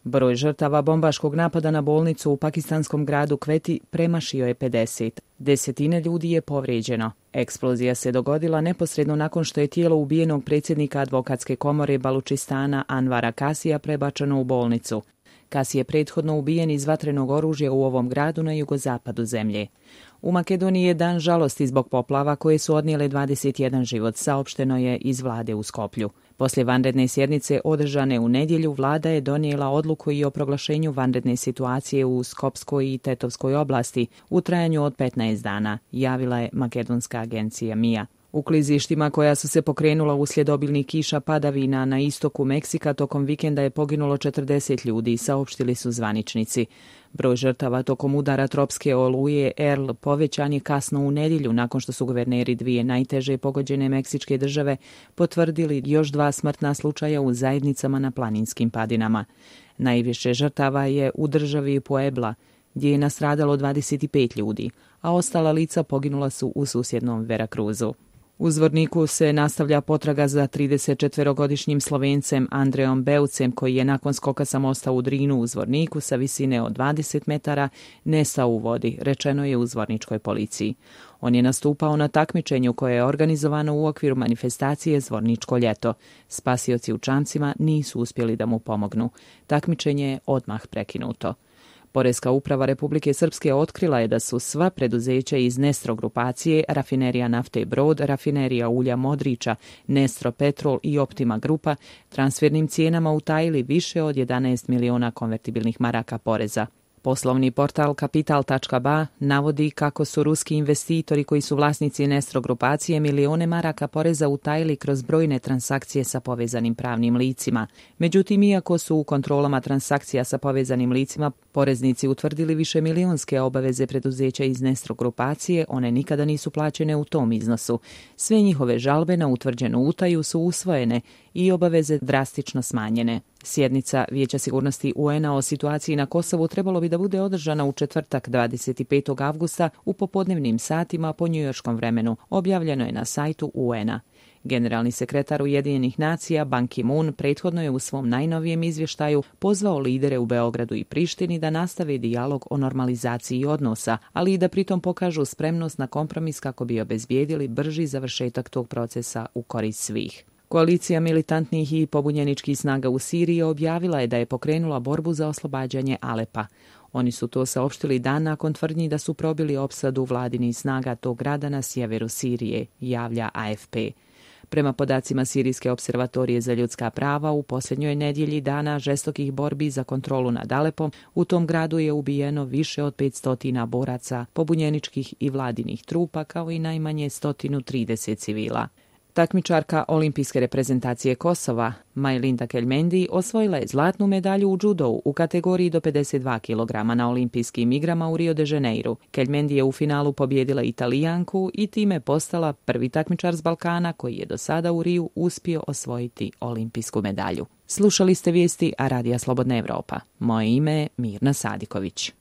Broj žrtava bombaškog napada na bolnicu u pakistanskom gradu Kveti premašio je 50. Desetine ljudi je povrijeđeno. Eksplozija se dogodila neposredno nakon što je tijelo ubijenog predsjednika advokatske komore Balučistana Anvara Kasija prebačeno u bolnicu. Kasi je prethodno ubijen iz vatrenog oružja u ovom gradu na jugozapadu zemlje. U Makedoniji je dan žalosti zbog poplava koje su odnijele 21 život, saopšteno je iz vlade u Skoplju. Poslije vanredne sjednice održane u nedjelju, vlada je donijela odluku i o proglašenju vanredne situacije u Skopskoj i Tetovskoj oblasti u trajanju od 15 dana, javila je makedonska agencija MIA. U klizištima koja su se pokrenula uslijed obilnih kiša padavina na istoku Meksika tokom vikenda je poginulo 40 ljudi, saopštili su zvaničnici. Broj žrtava tokom udara tropske oluje Earl povećan je kasno u nedjelju nakon što su guverneri dvije najteže pogođene meksičke države potvrdili još 2 smrtna slučaja u zajednicama na planinskim padinama. Najviše žrtava je u državi Puebla, gdje je nastradalo 25 ljudi, a ostala lica poginula su u susjednom Veracruzu. U Zvorniku se nastavlja potraga za 34-godišnjim Slovencem Andreom Beucem, koji je nakon skoka sa mosta u Drinu u Zvorniku sa visine od 20 metara nestao u vodi, rečeno je u zvorničkoj policiji. On je nastupao na takmičenju koje je organizovano u okviru manifestacije Zvorničko ljeto. Spasioci u čamcima nisu uspjeli da mu pomognu. Takmičenje je odmah prekinuto. Poreska uprava Republike Srpske otkrila je da su sva preduzeća iz Nestro grupacije, Rafinerija nafte Brod, Rafinerija ulja Modrića, Nestro Petrol i Optima Grupa transfernim cijenama utajili više od 11 miliona konvertibilnih maraka poreza. Poslovni portal Kapital.ba navodi kako su ruski investitori koji su vlasnici Nestro grupacije milione maraka poreza utajili kroz brojne transakcije sa povezanim pravnim licima. Međutim, iako su u kontrolama transakcija sa povezanim licima poreznici utvrdili višemilionske obaveze preduzeća iz Nestro grupacije, one nikada nisu plaćene u tom iznosu. Sve njihove žalbe na utvrđenu utaju su usvojene i obaveze drastično smanjene. Sjednica Vijeća sigurnosti UN-a o situaciji na Kosovu trebalo bi da bude održana u četvrtak 25. avgusta u popodnevnim satima po njujorškom vremenu, objavljeno je na sajtu UN-a. Generalni sekretar Ujedinjenih nacija Ban Ki-moon prethodno je u svom najnovijem izvještaju pozvao lidere u Beogradu i Prištini da nastave dijalog o normalizaciji odnosa, ali i da pritom pokažu spremnost na kompromis kako bi obezbijedili brži završetak tog procesa u korist svih. Koalicija militantnih i pobunjeničkih snaga u Siriji objavila je da je pokrenula borbu za oslobađanje Alepa. Oni su to saopštili dan nakon tvrdnji da su probili opsadu vladinih snaga tog grada na sjeveru Sirije, javlja AFP. Prema podacima Sirijske observatorije za ljudska prava, u posljednjoj nedjelji dana žestokih borbi za kontrolu nad Alepom, u tom gradu je ubijeno više od 500 boraca, pobunjeničkih i vladinih trupa, kao i najmanje 130 civila. Takmičarka olimpijske reprezentacije Kosova, Majlinda Kelmendi, osvojila je zlatnu medalju u džudou u kategoriji do 52 kg na olimpijskim igrama u Rio de Janeiru. Kelmendi je u finalu pobijedila Italijanku i time postala prvi takmičar s Balkana koji je do sada u Riju uspio osvojiti olimpijsku medalju. Slušali ste vijesti Radija Slobodna Evropa. Moje ime je Mirna Sadiković.